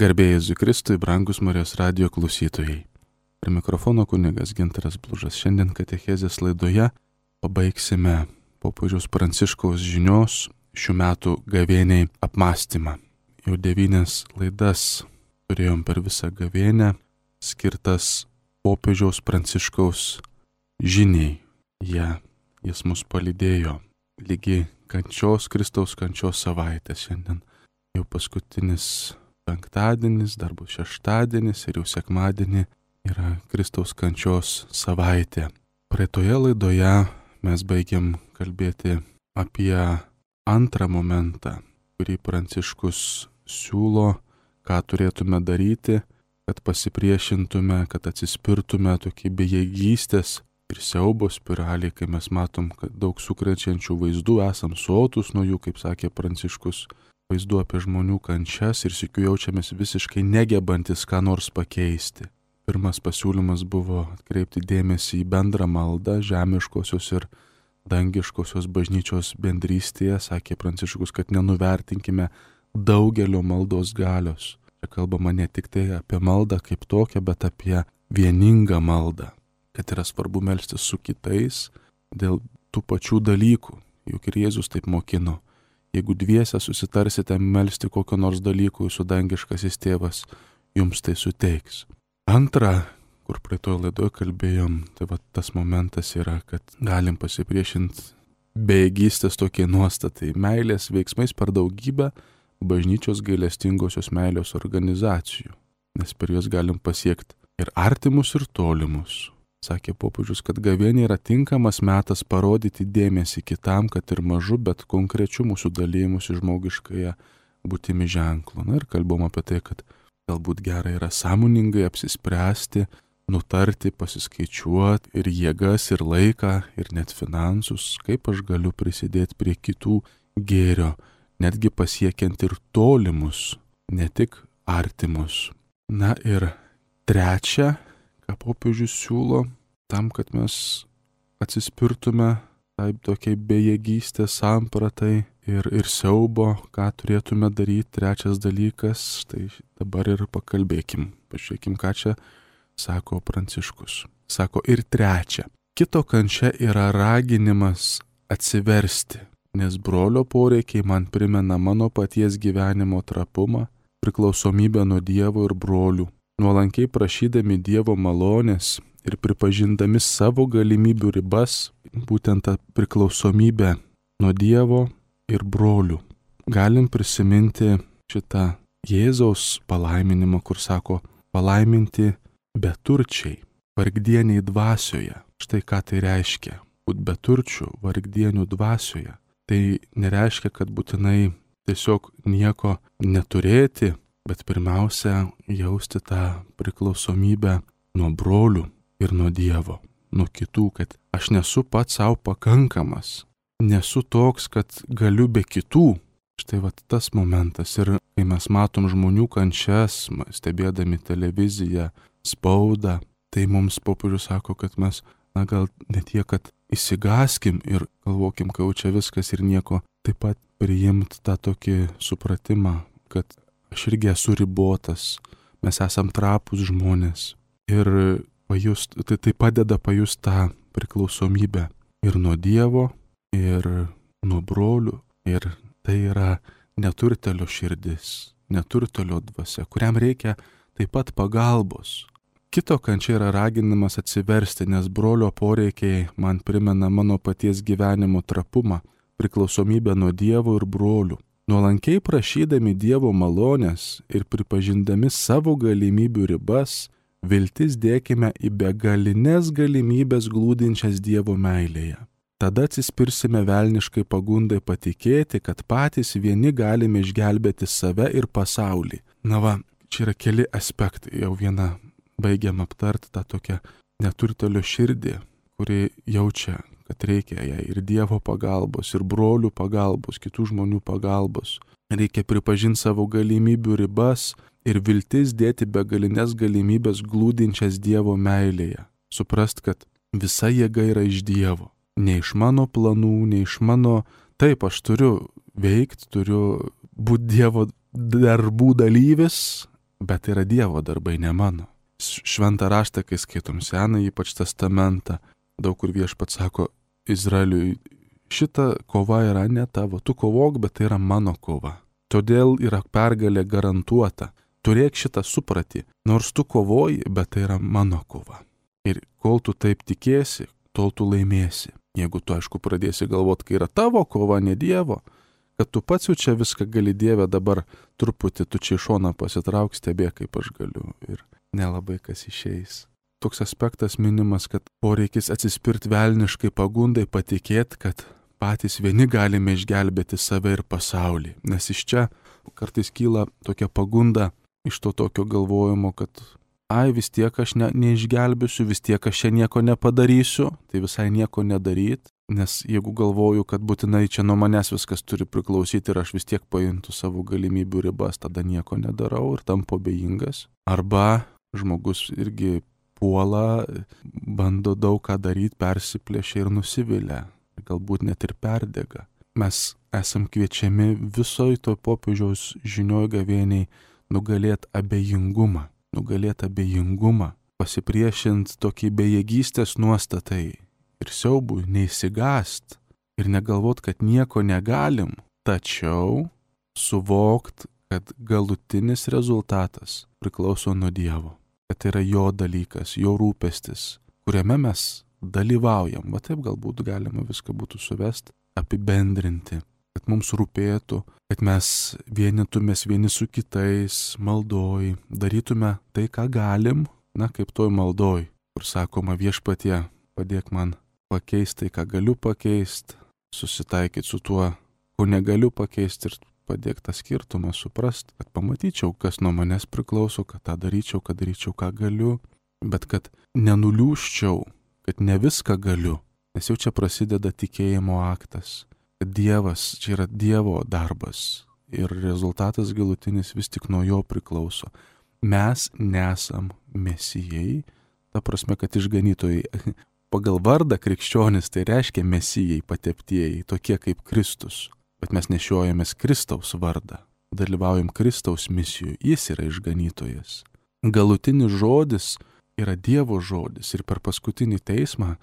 Garbė Jėzui Kristui, brangus Marijos radijo klausytojai. Prie mikrofono kunigas Gintaras Blužas. Šiandien katechezės laidoje pabaigsime popiežiaus Pranciškaus žinios šių metų gavėniai apmąstymą. Jau 9 laidas turėjom per visą gavėnę skirtas popiežiaus Pranciškaus žiniai. Jis mus palydėjo lygi Kristaus kančios savaitės. Šiandien jau paskutinis penktadienis, dar bus šeštadienis ir jau sekmadienį yra Kristaus kančios savaitė. Praeitoje laidoje mes baigėm kalbėti apie antrą momentą, kurį Pranciškus siūlo, ką turėtume daryti, kad pasipriešintume, kad atsispirtume tokį bejėgystės ir siaubo spiralį, kai mes matom, kad daug sukrečiančių vaizdų, esam sotus nuo jų, kaip sakė Pranciškus, vaizdų apie žmonių kančias ir sykiu jaučiamės visiškai negebantis ką nors pakeisti. Pirmas pasiūlymas buvo atkreipti dėmesį į bendrą maldą žemiškosios ir dangiškosios bažnyčios bendrystėje. Sakė Pranciškus, kad nenuvertinkime daugelio maldos galios. Čia kalbama ne tik tai apie maldą kaip tokią, bet apie vieningą maldą. Kad yra svarbu melstis su kitais dėl tų pačių dalykų. Juk ir Jėzus taip mokino. Jeigu dviese susitarsite melsti kokio nors dalykų, jūsų dangiškasis tėvas jums tai suteiks. Antra, kur praeitoje laidoje kalbėjom, tai tas momentas yra, kad galim pasipriešinti bejėgystės tokiai nuostatai, meilės veiksmais per daugybę bažnyčios gailestingosios meilės organizacijų, nes per juos galim pasiekti ir artimus, ir tolimus. Sakė popiežius, kad gavėnė yra tinkamas metas parodyti dėmesį kitam, kad ir mažu, bet konkrečiu mūsų dalymusi žmogiškąją būtimi ženklu. Ir kalbom apie tai, kad galbūt gerai yra sąmoningai apsispręsti, nutarti, pasiskaičiuoti ir jėgas, ir laiką, ir net finansus, kaip aš galiu prisidėti prie kitų gėrio, netgi pasiekiant ir tolimus, ne tik artimus. Ir trečia, ką popiežius siūlo, tam, kad mes atsispirtume taip tokiai bejėgystės sampratai ir siaubo, ką turėtume daryti. Trečias dalykas, tai dabar ir pakalbėkim. Pažiūrėkim, ką čia sako Pranciškus. Sako ir trečia. Kito kančia yra raginimas atsiversti, nes brolio poreikiai man primena mano paties gyvenimo trapumą, priklausomybę nuo Dievo ir brolių. Nuolankiai prašydami Dievo malonės ir pripažindami savo galimybių ribas, būtent tą priklausomybę nuo Dievo ir brolių. Galim prisiminti šitą Jėzaus palaiminimą, kur sako palaiminti beturčiai, vargdieniai dvasioje. Štai ką tai reiškia. Būt beturčių, vargdienių dvasioje. Tai nereiškia, kad būtinai tiesiog nieko neturėti, bet pirmiausia, jausti tą priklausomybę nuo brolių ir nuo Dievo, nuo kitų, kad aš nesu pats savo pakankamas, nesu toks, kad galiu be kitų. Štai tas momentas. Ir kai mes matom žmonių kančias, stebėdami televiziją, spaudą, tai mums popiežius sako, kad mes, gal ne tiek, kad įsigaskim ir galvokim, kad čia viskas ir nieko, taip pat priimti tą tokį supratimą, kad aš irgi esu ribotas, mes esam trapūs žmonės ir tai padeda pajusti tą priklausomybę ir nuo Dievo, ir nuo brolių, ir tai yra neturtelio širdis, neturtelio dvasia, kuriam reikia taip pat pagalbos. Kito kančia yra raginimas atsiversti, nes brolio poreikiai man primena mano paties gyvenimo trapumą, priklausomybę nuo Dievo ir brolių. Nuolankiai prašydami Dievo malonės ir pripažindami savo galimybių ribas, viltis dėkime į begalinės galimybės glūdinčias Dievo meilėje. Tada atsispirsime velniškai pagundai patikėti, kad patys vieni galime išgelbėti save ir pasaulį. Čia yra keli aspektai. Jau vieną baigiam aptarti, tą tokią neturtelio širdį, kuri jaučia, kad reikia jai ir Dievo pagalbos, ir brolių pagalbos, kitų žmonių pagalbos. Reikia pripažinti savo galimybių ribas ir viltis dėti begalinės galimybės glūdinčias Dievo meilėje. Suprast, kad visa jėga yra iš Dievo. Ne iš mano planų, ne iš mano... Taip, aš turiu veikti, turiu būti Dievo darbų dalyvis, bet tai yra Dievo darbai, ne mano. Šventą raštą, kai skaitom Senąjį, ypač Testamentą, daug kur Viešpats sako Izraeliui, šita kova yra ne tavo, tu kovok, bet tai yra mano kova. Todėl yra pergalė garantuota. Turėk šitą supratį, nors tu kovoji, bet tai yra mano kova. Ir kol tu taip tikėsi, tol tu laimėsi. Jeigu tu, aišku, pradėsi galvoti, kai yra tavo kova, ne Dievo, kad tu pats jau čia viską gali, Dieve, dabar truputį tu čia iš šoną pasitrauk, stebėk, kaip aš galiu. Ir nelabai kas išeis. Toks aspektas minimas, kad poreikis atsispirti velniškai pagundai, patikėti, kad patys vieni galime išgelbėti save ir pasaulį. Nes iš čia kartais kyla tokia pagunda iš to tokio galvojimo, kad vis tiek aš neišgelbėsiu, vis tiek aš čia nieko nepadarysiu, tai visai nieko nedaryt. Nes jeigu galvoju, kad būtinai čia nuo manęs viskas turi priklausyti ir aš vis tiek pajuntu savo galimybių ribas, tada nieko nedarau ir tampu abejingas. Arba žmogus irgi puola, bando daug ką daryti, persiplėšia ir nusivilia. Galbūt net ir perdega. Mes esam kviečiami visoj to popiežiaus žinioj gavėniai nugalėti abejingumą. Pasipriešint tokį bejėgystės nuostatai ir siaubui, neįsigast ir negalvot, kad nieko negalim, tačiau suvokt, kad galutinis rezultatas priklauso nuo Dievo. Kad tai yra jo dalykas, jo rūpestis, kuriame mes dalyvaujam. Va taip galbūt galima viską būtų suvesti, apibendrinti, kad mums rūpėtų, kad mes vienytumės vieni su kitais maldoj, darytume tai, ką galim, kaip toj maldoj, kur sakoma Viešpatie, padėk man pakeisti tai, ką galiu pakeisti, susitaikyti su tuo, ko negaliu pakeisti ir padėk tą skirtumą suprast, kad pamatyčiau, kas nuo manęs priklauso, kad tą daryčiau, kad daryčiau, ką galiu, bet kad nenuliūščiau, kad ne viską galiu, nes jau čia prasideda tikėjimo aktas, kad Dievas, čia yra Dievo darbas ir rezultatas galutinis vis tik nuo jo priklauso. Mes nesam mesijai, ta prasme, kad išganytojai. Pagal vardą krikščionis tai reiškia mesijai, pateptieji, tokie kaip Kristus. Bet mes nešiojamės Kristaus vardą, dalyvaujam Kristaus misijų, jis yra išganytojas. Galutinis žodis yra Dievo žodis ir per paskutinį teismą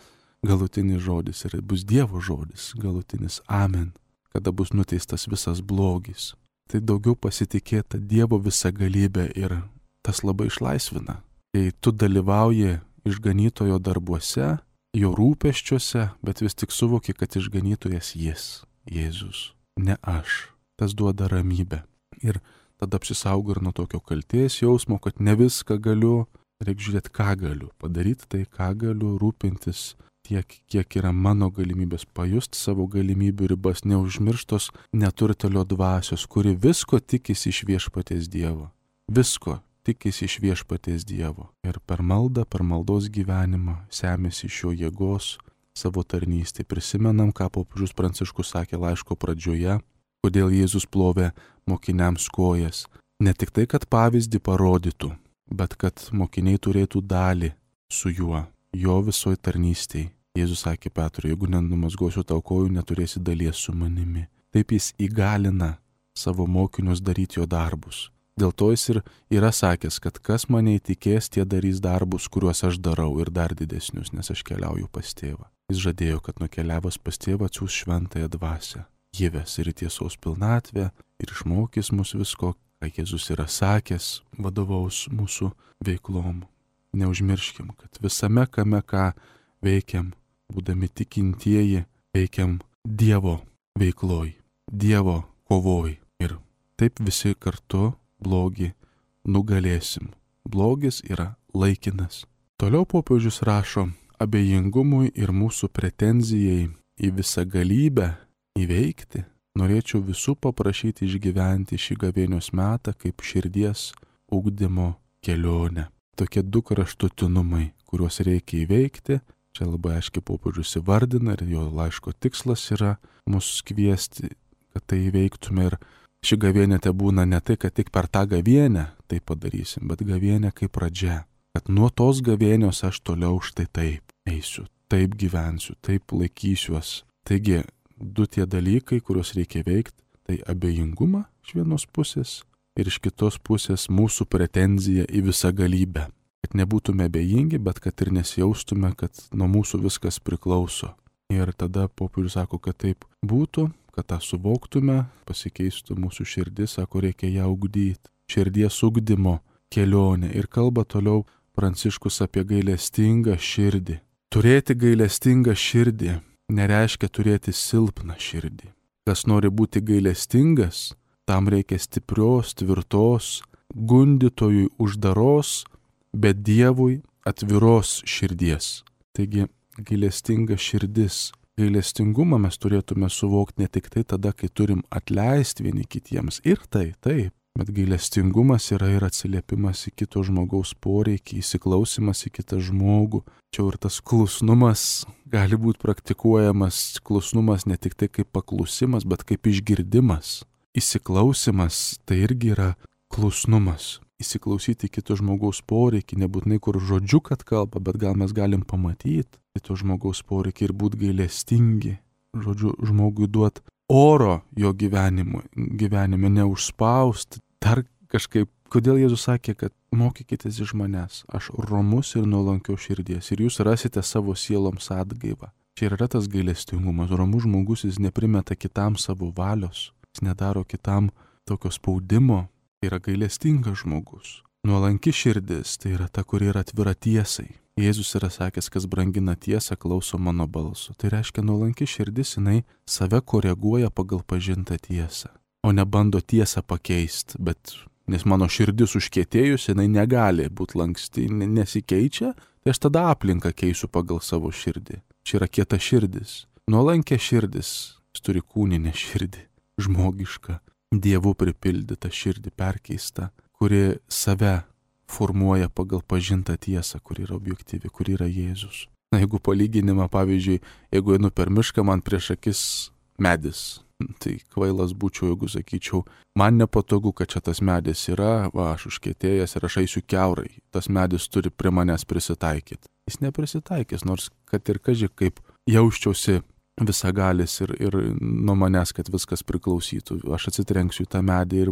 galutinis žodis ir bus Dievo žodis, galutinis amen, kada bus nuteistas visas blogis. Tai daugiau pasitikėta Dievo visagalybė ir tas labai išlaisvina. Kai tu dalyvauji išganytojo darbuose, jo rūpesčiuose, bet vis tik suvoki, kad išganytojas jis, Jėzus. Ne aš. Tas duoda ramybę. Ir tada apsisaugo ir nuo tokio kaltės jausmo, kad ne viską galiu, reikia žiūrėti, ką galiu. Padaryti tai, ką galiu, rūpintis tiek, kiek yra mano galimybės, pajusti savo galimybių ribas, neužmirštos neturtelio dvasios, kuri visko tikisi iš Viešpaties Dievo. Visko tikisi iš Viešpaties Dievo. Ir per maldą, per maldos gyvenimą semėsi iš jo jėgos, savo tarnystę. Prisimenam, ką popiežius Pranciškus sakė laiško pradžioje, kodėl Jėzus plovė mokiniams kojas. Ne tik tai, kad pavyzdį parodytų, bet kad mokiniai turėtų dalį su juo, jo visoj tarnystėj. Jėzus sakė Petrui, jeigu nenumazgosiu tau kojų, neturėsi dalies su manimi. Taip jis įgalina savo mokinius daryti jo darbus. Dėl to jis ir yra sakęs, kad kas mane įtikės, tie darys darbus, kuriuos aš darau ir dar didesnius, nes aš keliauju pas tėvą. Jis žadėjo, kad nukeliavęs pas tėvą atsiųs šventąją dvasią. Ji ves ir tiesos pilnatvę ir išmokys mus visko, ką Jėzus yra sakęs, vadovaus mūsų veiklom. Neužmirškim, kad visame kame, ką veikiam, būdami tikintieji, veikiam Dievo veikloj, Dievo kovoj. Ir taip visi kartu blogį nugalėsim. Blogis yra laikinas. Toliau popiežius rašo, abejingumui ir mūsų pretenzijai į visą galybę įveikti, norėčiau visų paprašyti išgyventi šį gavėnios metą kaip širdies ugdymo kelionę. Tokie du kraštutinumai, kuriuos reikia įveikti, čia labai aiškiai popiežius įvardina ir jo laiško tikslas yra mus kviesti, kad tai įveiktume. Ir ši gavėnė te būna ne tai, kad tik per tą gavėnę tai padarysim, bet gavėnė kaip pradžia. Kad nuo tos gavėnios aš toliau štai taip eisiu, taip gyvensiu, taip laikysiuos. Taigi, du tie dalykai, kuriuos reikia veikti, tai abejingumą iš vienos pusės ir iš kitos pusės mūsų pretenzija į visagalybę. Kad nebūtume abejingi, bet kad ir nesijaustume, kad nuo mūsų viskas priklauso. Ir tada popiežius sako, kad taip būtų, kad tą suvoktume, pasikeistų mūsų širdis, sako, reikia ją ugdyti. Širdies ugdymo kelionė. Ir kalba toliau Pranciškus apie gailestingą širdį. Turėti gailestingą širdį nereiškia turėti silpną širdį. Kas nori būti gailestingas, tam reikia stiprios, tvirtos, gundytojui uždaros, bet Dievui atviros širdies. Taigi, gailestinga širdis. Gailestingumą mes turėtume suvokti ne tik tai tada, kai turim atleisti vieni kitiems. Ir taip. Bet gailestingumas yra ir atsiliepimas į kito žmogaus poreikį, įsiklausimas į kitą žmogų. Čia ir tas klusnumas gali būti praktikuojamas. Klusnumas ne tik tai kaip paklusimas, bet kaip išgirdimas. Įsiklausimas tai irgi yra klusnumas. Įsiklausyti kito žmogaus poreikį, nebūtinai kur žodžiu, kad kalba, bet gal mes galim pamatyti kito žmogaus poreikį ir būti gailestingi. Žodžiu, žmogui duoti oro jo gyvenime, neužspausti. Dar kažkaip, kodėl Jėzus sakė, kad mokykitės iš manęs, aš romus ir nuolankios širdies ir jūs rasite savo sieloms atgaivą. Čia yra tas gailestingumas. Romus žmogus, jis neprimeta kitam savo valios, jis nedaro kitam tokio spaudimo. Tai yra gailestingas žmogus. Nuolanki širdis, tai yra ta, kuri yra atvira tiesai. Jėzus yra sakęs, kas brangina tiesą, klauso mano balso. Tai reiškia, nuolanki širdis, jinai save koreguoja pagal pažintą tiesą, o ne bando tiesą pakeisti. Bet nes mano širdis užkietėjus, jinai negali būti lanksti, nesikeičia, tai aš tada aplinką keisiu pagal savo širdį. Čia yra kieta širdis. Nuolankė širdis, jis turi kūninę širdį, žmogišką. Dievu pripildytą širdį perkeistą, kuri save formuoja pagal pažintą tiesą, kuri yra objektyvi, kuri yra Jėzus. Na, jeigu palyginimą, pavyzdžiui, jeigu einu per mišką, man prieš akis medis, tai kvailas būčiau, jeigu sakyčiau, man nepatogu, kad čia tas medis yra, aš užkietėjęs ir aš eisiu kiaurai, tas medis turi prie manęs prisitaikyti. Jis neprisitaikys, nors kad ir kaži kaip jausčiausi visagalis ir nuo manęs, kad viskas priklausytų. Aš atsitrenksiu į tą medį ir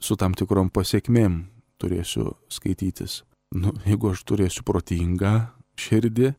su tam tikrom pasiekmėm turėsiu skaitytis. Jeigu aš turėsiu protingą širdį,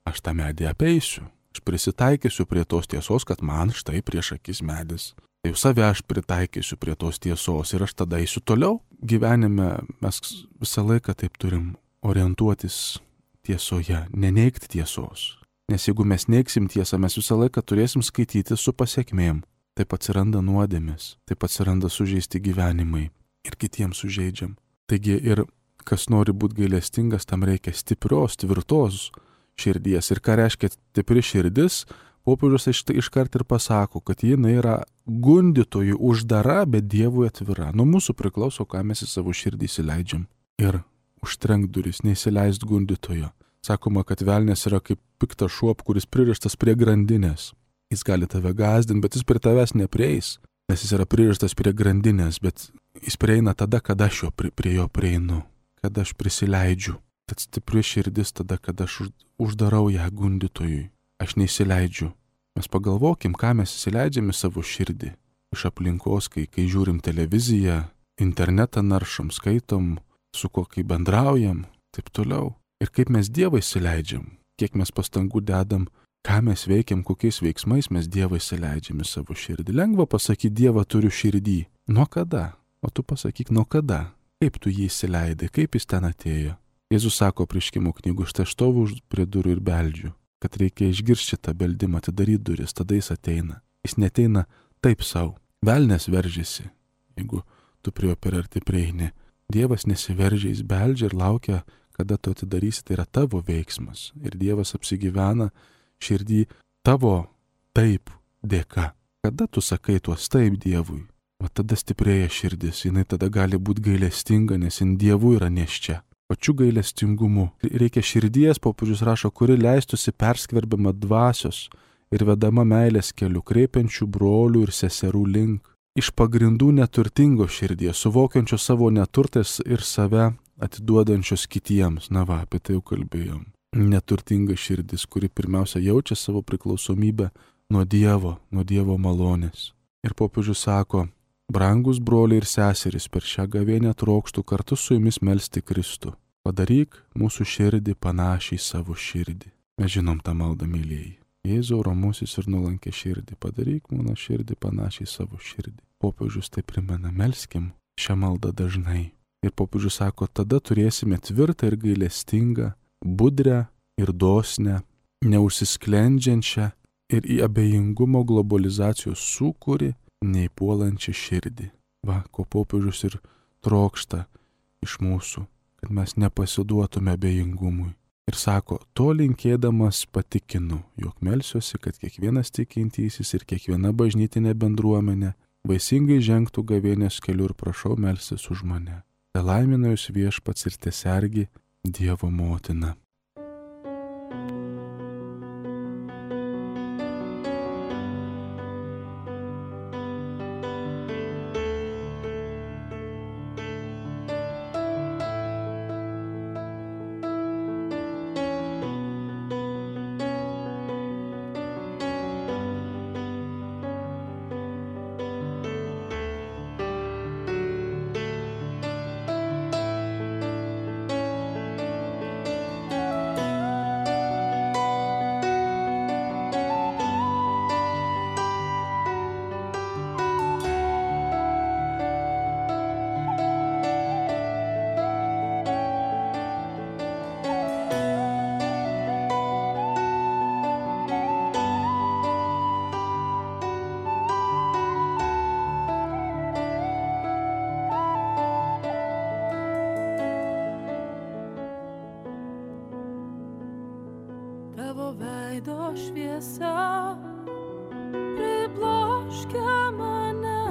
aš tą medį apeisiu. Aš prisitaikysiu prie tos tiesos, kad man štai prieš akis medis. Tai jau save aš pritaikysiu prie tos tiesos ir aš tada eisiu toliau. Gyvenime mes visą laiką taip turim orientuotis tiesoje, neneigti tiesos. Nes jeigu mes neigsim tiesą, mes visą laiką turėsim skaityti su pasiekmėm. Taip atsiranda nuodėmės, taip atsiranda sužeisti gyvenimai ir kitiems sužeidžiam. Taigi ir kas nori būti gailestingas, tam reikia stiprios, tvirtos širdies. Ir ką reiškia stipri širdis, popiežius iškart ir pasako, kad jinai yra gundytojui uždara, bet Dievui atvira. Nuo mūsų priklauso, ką mes į savo širdį įsileidžiam. Ir užtrenk duris, neįsileist gundytojo. Sakoma, kad velnės yra kaip piktas šuo, kuris pririštas prie grandinės. Jis gali tave gąsdinti, bet jis prie tavęs neprieis, nes jis yra pririštas prie grandinės, bet jis prieina tada, kada aš prie jo prieinu, kada aš prisileidžiu. Tad stipri širdis tada, kada aš uždarau ją gundytojui. Aš neįsileidžiu. Mes pagalvokim, ką mes įsileidžiam į savo širdį. Iš aplinkos, kai žiūrim televiziją, internetą naršom, skaitom, su kuo kai bendraujam, taip toliau. Ir kaip mes Dievą įsileidžiam, kiek mes pastangų dedam, ką mes veikiam, kokiais veiksmais mes Dievą įsileidžiam į savo širdį. Lengva pasakyti, Dievą turiu širdį. Nuo kada? O tu pasakyk, nuo kada? Kaip tu jį įsileidai, kaip jis ten atėjo? Jėzus sako Apreiškimo knygų, štai aš stoviu prie durų ir beldžiu, kad reikia išgirsti tą beldimą, atidaryti duris, tada jis ateina. Jis neteina taip savo. Velnės veržiasi, jeigu tu prie jo per arti prieini. Dievas nesiveržia, jis beldžia ir laukia, kada tu atidarysi, tai yra tavo veiksmas. Ir Dievas apsigyvena širdį tavo taip dėka. Kada tu sakai tuos taip Dievui, o tada stiprėja širdis, jinai tada gali būti gailestinga, nes jin Dievui yra nėščia. Pačiu gailestingumu. Reikia širdies, popiežius rašo, kuri leistųsi perskverbiama dvasios ir vedama meilės keliu, kreipiančių brolių ir seserų link. Iš pagrindų neturtingo širdies, suvokiančio savo neturtais ir save atiduodančios kitiems. Na va, apie tai jau kalbėjom. Neturtinga širdis, kuri pirmiausia jaučia savo priklausomybę nuo Dievo malonės. Ir popiežius sako, Brangus broliai ir seserys, per šią gavėnią trokštų kartu su jumis melsti Kristų. Padaryk mūsų širdį panašiai savo širdį. Mes žinom tą maldą, mylėjai. Jėzau, ramusis ir nuolankė širdį, padaryk mano širdį panašiai savo širdį. Popiežius tai primena, melskim šią maldą dažnai. Ir popiežius sako, tada turėsime tvirtą ir gailestingą, budrę ir dosnę, neužsisklendžiančią ir į abejingumo globalizacijos sūkurį neįpuolančią širdį. Va, ko popiežius ir trokšta iš mūsų, kad mes nepasiduotume abejingumui. Ir sako, to linkėdamas patikinu, jog melsiuosi, kad kiekvienas tikintysis ir kiekviena bažnytinė bendruomenė vaisingai žengtų gavėnios keliu ir prašau melstis už mane. Te laimina jūs Viešpats ir tesergi Dievo motina. Tavo veido šviesa pribloškia mane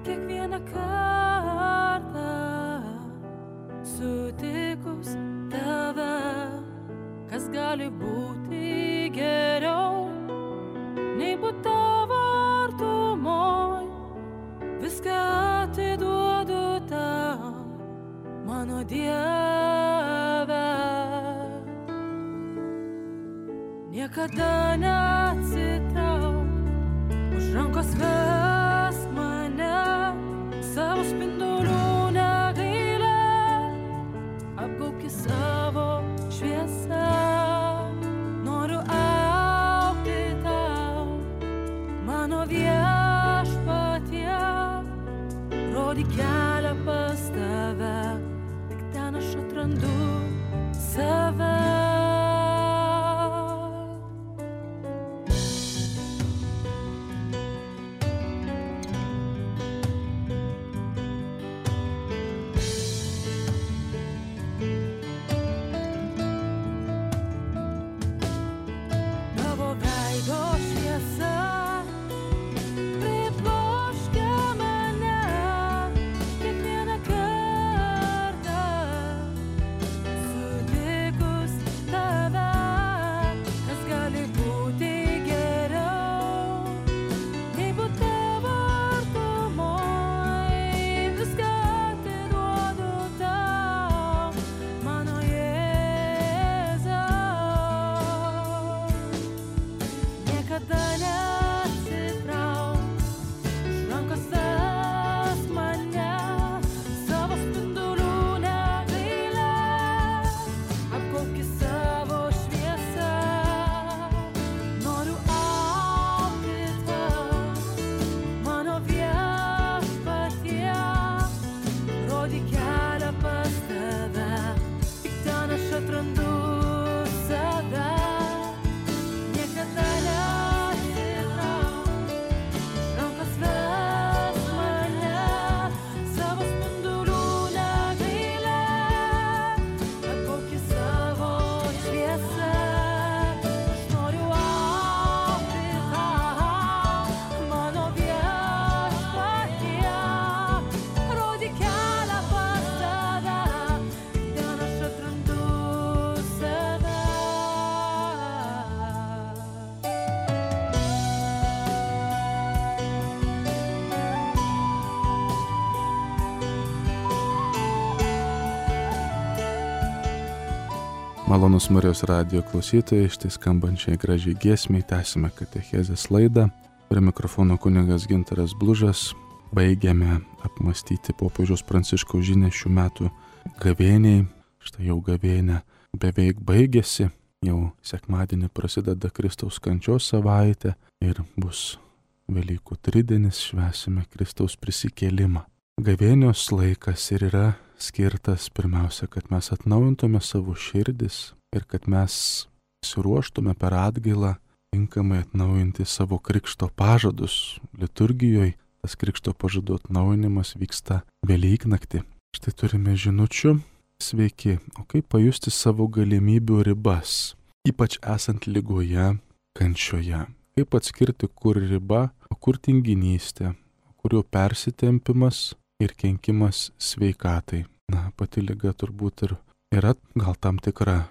kiekvieną kartą sutikus tave, kas gali būti geriau nei būt tavo artumoj. Viską atiduodu tau, mano Dieve. Niekada neatsitrauk, už rankos vesk mane, savo spindulių negailėk, apgaubki savo šviesą. Noriu augti tau, mano Viešpatie, rodyk kelią pas tave, tik ten aš atrandu save. Malonus Marijos radijo klausytojai, štai skambančiai gražiai giesmiai tęsime katechezės laidą. Prie mikrofono kunigas Gintaras Blužas. baigiame apmastyti popiežiaus Pranciškaus žinią šių metų gavėniai. Štai jau gavėnė beveik baigėsi, jau sekmadienį prasideda Kristaus kančios savaitė ir bus Velykų tridienis, švęsime Kristaus prisikėlimą. Gavėnios laikas ir yra skirtas pirmiausia, kad mes atnaujintume savo širdis ir kad mes pasiruoštume per atgailą tinkamai atnaujinti savo krikšto pažadus. Liturgijoje tas krikšto pažadų atnaujinimas vyksta Velyknaktį. Štai turime žinučių. Sveiki, o kaip pajusti savo galimybių ribas, ypač esant ligoje, kančioje? Kaip atskirti, kur riba, o kur tinginystė, o kur jau persitempimas ir kenkimas sveikatai? Na, pati liga turbūt ir yra gal tam tikra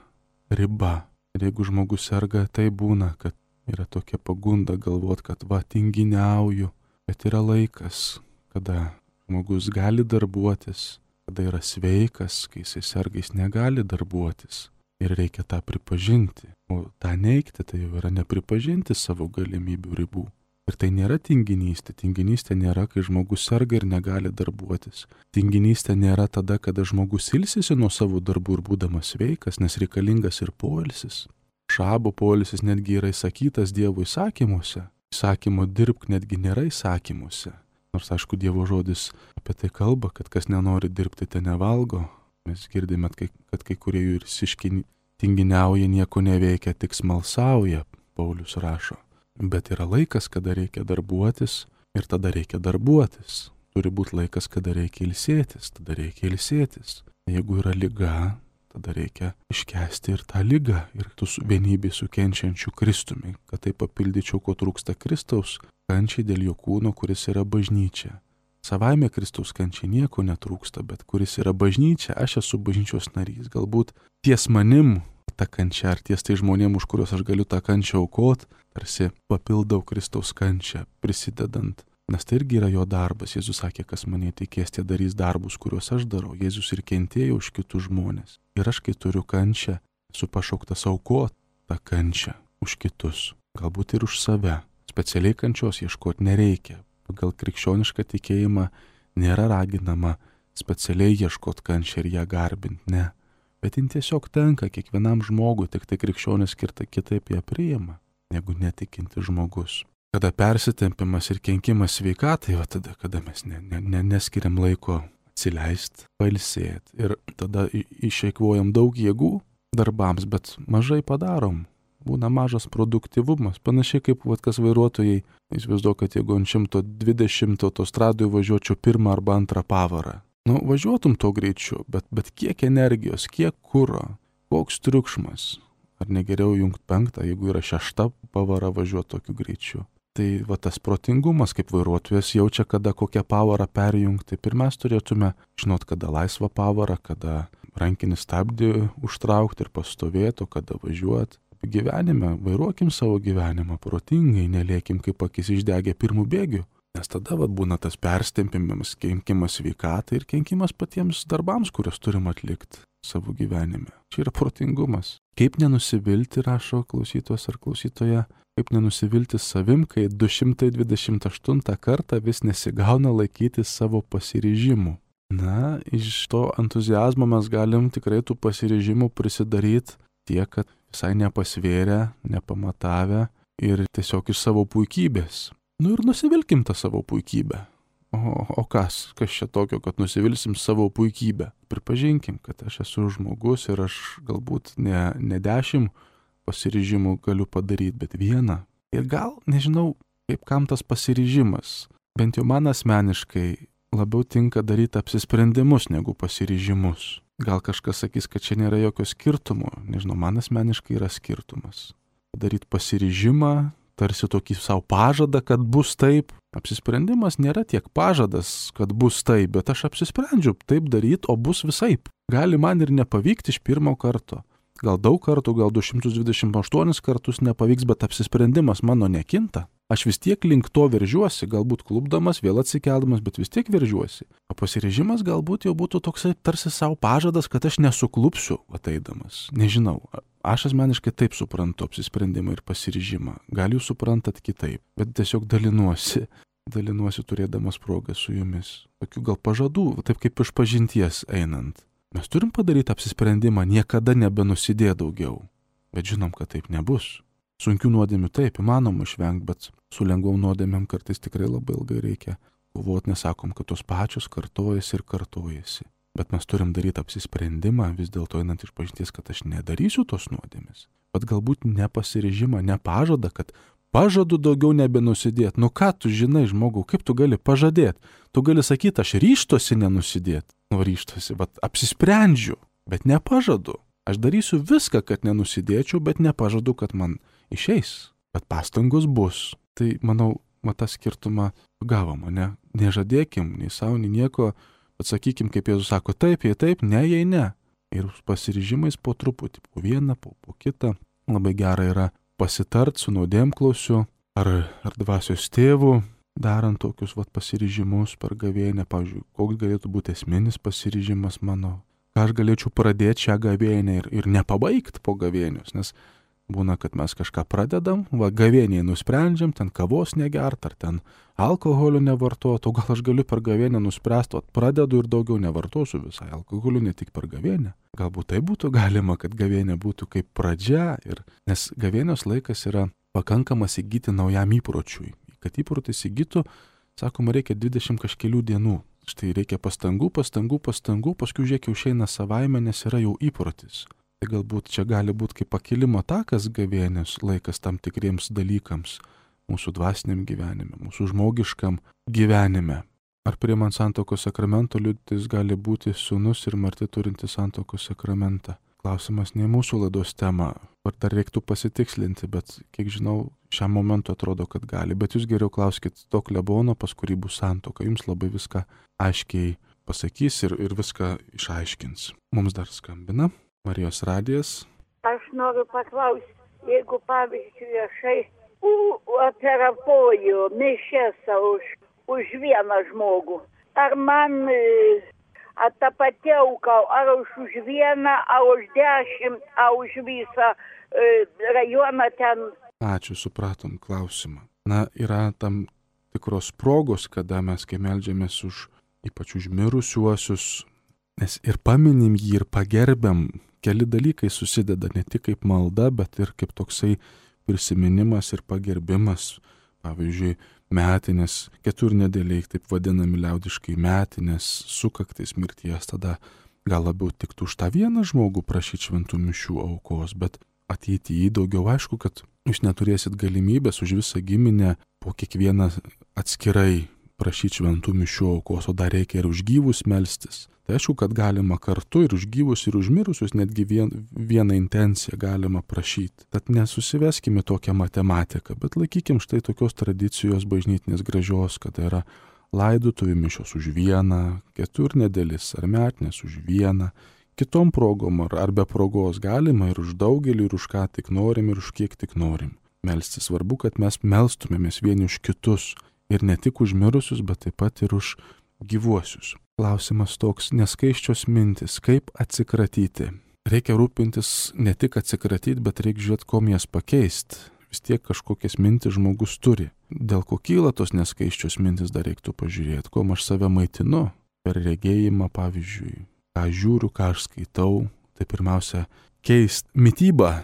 riba. Ir jeigu žmogus serga, tai būna, kad yra tokia pagunda galvot, kad va, tinginiauju, bet yra laikas, kada žmogus gali darbuotis, kada yra sveikas, kai jisai serga, jis negali darbuotis. Ir reikia tą pripažinti. O tą neigti, tai jau yra nepripažinti savo galimybių ribų. Ir tai nėra tinginystė. Tinginystė nėra, kai žmogus serga ir negali darbuotis. Tinginystė nėra tada, kada žmogus ilsisi nuo savo darbų ir būdamas sveikas, nes reikalingas ir poilsis. Šabo poilsis netgi yra įsakytas Dievo įsakymuose. Įsakymo dirbk netgi nėra įsakymuose. Nors, aišku, Dievo žodis apie tai kalba, kad kas nenori dirbti, te nevalgo. Mes girdime, kad kai kurie jų ir tinginiauja, nieko neveikia, tik smalsauja, Paulius rašo. Bet yra laikas, kada reikia darbuotis ir tada reikia darbuotis. Turi būti laikas, kada reikia ilsėtis, tada reikia ilsėtis. Jeigu yra liga, tada reikia iškęsti ir tą ligą, ir tu vienybė su kenčiančiu Kristumi, kad tai papildyčiau, ko trūksta Kristaus kančiai dėl jo kūno, kuris yra bažnyčia. Savaime Kristaus kančiai nieko netrūksta, bet kuris yra bažnyčia, aš esu bažnyčios narys. Galbūt ties manim ta kančia, ar ties tai žmonėm, už kuriuos aš galiu tą kančią aukot, tarsi papildau Kristaus kančią, prisidedant. Nes tai irgi yra jo darbas. Jėzus sakė, kas mane tikės, tie darys darbus, kuriuos aš darau. Jėzus ir kentėjo už kitus žmonės. Ir aš, kai turiu kančią, esu pašauktas aukot tą kančią už kitus. Galbūt ir už save. Specialiai kančios ieškoti nereikia. Pagal krikščionišką tikėjimą nėra raginama specialiai ieškoti kančią ir ją garbinti, ne. Bet jin tiesiog tenka kiekvienam žmogui, tik tai krikščionis kitaip ją priima, negu netikinti žmogus. Kada persitempimas ir kenkimas sveikatai, va tada, kada mes neskiriam laiko atsileisti, pailsėti ir tada išeikvojam daug jėgų darbams, bet mažai padarom. Būna mažas produktyvumas, panašiai kaip kas vairuotojai, įsivaizduoju, kad jeigu ant 120 autostradoje važiuočiau pirmą arba antrą pavarą. Važiuotum to greičiu, bet kiek energijos, kiek kuro, koks triukšmas. Ar negeriau jungti 5, jeigu yra 6 pavara važiuoti tokiu greičiu. Tai va tas protingumas, kaip vairuotojas jaučia, kada kokią pavarą perjungti. Ir mes turėtume žinot, kada laisvą pavarą, kada rankinį stabdį užtraukti ir pastovėti, kada važiuoti. Gyvenime, vairuokim savo gyvenimą protingai, nelėkim kaip akis išdegę pirmų bėgių, nes tada būna tas perstempimas, kenkimas sveikatai ir kenkimas patiems darbams, kuriuos turim atlikti savo gyvenime. Čia yra protingumas. Kaip nenusivilti, rašo klausytojas ar klausytoja, kaip nenusivilti savim, kai 228 kartą vis nesigauna laikyti savo pasiryžimų. Na, iš to entuziazmo mes galim tikrai tų pasiryžimų prisidaryti tiek, kad visai nepasvėrę, nepamatavę ir tiesiog iš savo puikybės. Ir nusivilkim tą savo puikybę. O kas čia tokio, kad nusivilsim savo puikybę? Pripažinkim, kad aš esu žmogus ir aš galbūt ne 10 pasiryžimų galiu padaryti, bet 1. Ir gal, nežinau, kaip kam tas pasiryžimas. Bent jau man asmeniškai labiau tinka daryti apsisprendimus negu pasiryžimus. Gal kažkas sakys, kad čia nėra jokio skirtumo. Nežinau, man asmeniškai yra skirtumas. Daryti pasiryžimą, tarsi tokį savo pažadą, kad bus taip. Apsisprendimas nėra tiek pažadas, kad bus taip, bet aš apsisprendžiu taip daryti, o bus visaip. Gali man ir nepavykti iš pirmo karto. Gal daug kartų, gal 228 kartus nepavyks, bet apsisprendimas mano nekinta. Aš vis tiek link to veržiuosi, galbūt klupdamas, vėl atsikeldamas, bet vis tiek veržiuosi. O pasiryžimas galbūt jau būtų toksai tarsi savo pažadas, kad aš nesuklupsiu ateidamas. Nežinau, aš asmeniškai taip suprantu apsisprendimą ir pasiryžimą. Gal jūs suprantat kitaip, bet tiesiog dalinuosi. dalinuosi turėdamas progą su jumis. Tokių gal pažadų, taip kaip iš pažinties einant. Mes turim padaryti apsisprendimą niekada nebenusidėti daugiau. Bet žinom, kad taip nebus. Sunkių nuodėmių taip įmanoma išvengti, bet su lengvom nuodėmėm kartais tikrai labai ilgai reikia kovoti, nesakom, kad tos pačios kartojasi ir kartojasi. Bet mes turim daryti apsisprendimą, vis dėlto einant iš pažinties, kad aš nedarysiu tos nuodėmės. Bet galbūt nepasiryžimą, nepažadą, kad pažadu daugiau nebenusidėti. Nu ką tu žinai, žmogau, kaip tu gali pažadėti? Tu gali sakyti, aš ryžtosi nenusidėti. Nu ryžtosi, bet apsisprendžiu, bet nepažadu. Aš darysiu viską, kad nenusidėčiau, bet nepažadu, kad man išeis. Bet pastangos bus. Tai, manau, tą skirtumą gavom, ne? Nežadėkim, nei savo, nei nieko, bet sakykim, kaip Jėzus sako, taip, jei taip, ne, jei ne. Ir pasiryžimais po truputį, po vieną, po kitą. Labai gera yra pasitart su nuodėmklausiu ar dvasios tėvu, darant tokius pasiryžimus per gavėnią. Pavyzdžiui, koks galėtų būti esminis pasiryžimas mano. Ką aš galėčiau pradėti šią gavėnią ir nepabaigti po gavėnios, nes būna, kad mes kažką pradedam, gavėniai nusprendžiam, ten kavos negert, ar ten alkoholio nevartot, o gal aš galiu per gavėnią nuspręsti, pradedu ir daugiau nevartosiu visai alkoholio, ne tik per gavėnią. Galbūt tai būtų galima, kad gavėnė būtų kaip pradžia, nes gavėnios laikas yra pakankamas įgyti naujam įpročiui. Kad įprotis įgytų, sakoma, reikia 20 kažkelių dienų. Štai reikia pastangų, paskui žiūrėk jau išeina savaime, nes yra jau įprotis. Tai galbūt čia gali būti kaip pakilimo takas gavėnios laikas tam tikriems dalykams mūsų dvasiniam gyvenime, mūsų žmogiškam gyvenime. Ar priimant santuokos sakramento liudytis gali būti sūnus ir marti turintis santuokos sakramentą? Klausimas ne mūsų laidos tema, ar dar reiktų pasitikslinti, bet kiek žinau, šiam momentui atrodo, kad gali. Bet jūs geriau klauskit to klebono, pas kurį bus santuoka, jums labai viską aiškiai pasakys ir viską išaiškins. Mums dar skambina Marijos radijas. Aš noriu paklausti, jeigu pavyzdžiui aš aterapoju mišias už vieną žmogų, ar man ta pati auka, ar už vieną, ar už 10, ar už visą rajoną ten? Ačiū, supratom klausimą. Na, yra tam tikros progos, kada mes, kai meldžiamės ypač už mirusiuosius, nes ir paminim jį, ir pagerbiam, keli dalykai susideda ne tik kaip malda, bet ir kaip toksai prisiminimas ir pagerbimas. Pavyzdžiui, metinės, keturnedėliai, taip vadinami liaudiškai metinės, sukaktis mirties, tada gal labiau tiktų už tą vieną žmogų prašyti šventų mišių aukos, bet ateityje daugiau aišku, kad jūs neturėsit galimybės už visą giminę po kiekvieną atskirai prašyti šventų mišių aukos, o dar reikia ir už gyvus melstis. Tai aišku, kad galima kartu ir už gyvus, ir už mirusius, netgi vieną intenciją galima prašyti. Tad nesusiveskime tokią matematiką, bet laikykim štai tokios tradicijos bažnytinės gražios, kad yra laidotuvių mišios už vieną, keturnedėlis ar metinės už vieną, kitom progom ar be progos galima ir už daugelį, ir už ką tik norim, ir už kiek tik norim. Melstis svarbu, kad mes melstumėmės vieni už kitus ir ne tik už mirusius, bet taip pat ir už gyvuosius. Klausimas toks, neskaiščios mintis, kaip atsikratyti. Reikia rūpintis ne tik atsikratyti, bet reikia žiūrėti, kom jas pakeisti. Vis tiek kažkokias mintis žmogus turi. Dėl ko kyla tos neskaiščios mintis, dar reiktų pažiūrėti, kom aš save maitinu. Per regėjimą, pavyzdžiui, ką žiūriu, ką aš skaitau. Tai pirmiausia, keisti mitybą,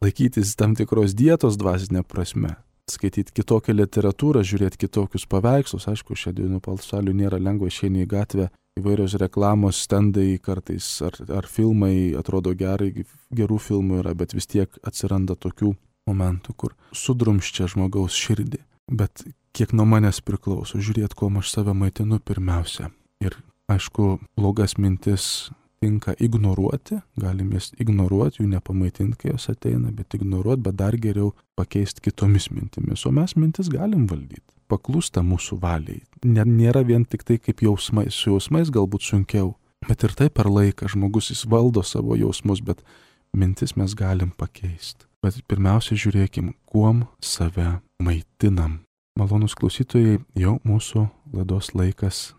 laikytis tam tikros dietos dvasinė prasme. Skaityti kitokią literatūrą, žiūrėti kitokius paveikslus. Aišku, šią dienų pasauliu nėra lengva, išeini į gatvę, įvairios reklamos, stendai kartais ar filmai atrodo gerai, gerų filmų yra, bet vis tiek atsiranda tokių momentų, kur sudrumščia žmogaus širdį. Bet kiek nuo manęs priklauso, žiūrėti, kuo aš save maitinu pirmiausia. Ir aišku, blogas mintis tinka ignoruoti, galim jas ignoruoti, jų nepamaitinti, kai jos ateina, bet ignoruoti, bet dar geriau pakeisti kitomis mintimis. O mes mintis galim valdyti. Paklūsta mūsų valiai. Nėra vien tik tai kaip jausmai, su jausmais galbūt sunkiau, bet ir tai per laiką žmogus jis valdo savo jausmus, bet mintis mes galim pakeisti. Bet pirmiausia žiūrėkim, kuom save maitinam. Malonūs klausytojai, jau mūsų laidos laikas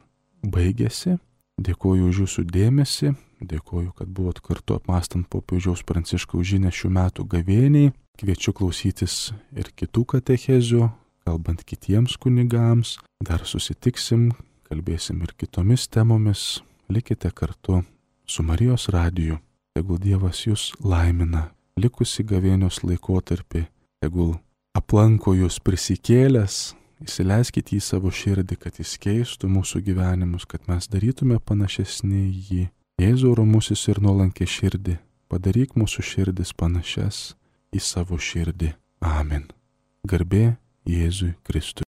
baigėsi. Dėkoju už jūsų dėmesį, dėkoju, kad buvot kartu apmąstant popiežiaus Pranciškaus žinią šių metų gavėniai. Kviečiu klausytis ir kitų katechezių kalbant kitiems kunigams. Dar susitiksim, kalbėsim ir kitomis temomis. Likite kartu su Marijos radiju. Tegul Dievas jūs laimina likusi gavėnios laikotarpį. Tegul aplanko jūs prisikėlęs. Įsileiskite į savo širdį, kad jis keistų mūsų gyvenimus, kad mes darytume panašesnį į jį. Jėzau romusis ir nuolankė širdį, padaryk mūsų širdis panašias į savo širdį. Amen. Garbė Jėzui Kristui.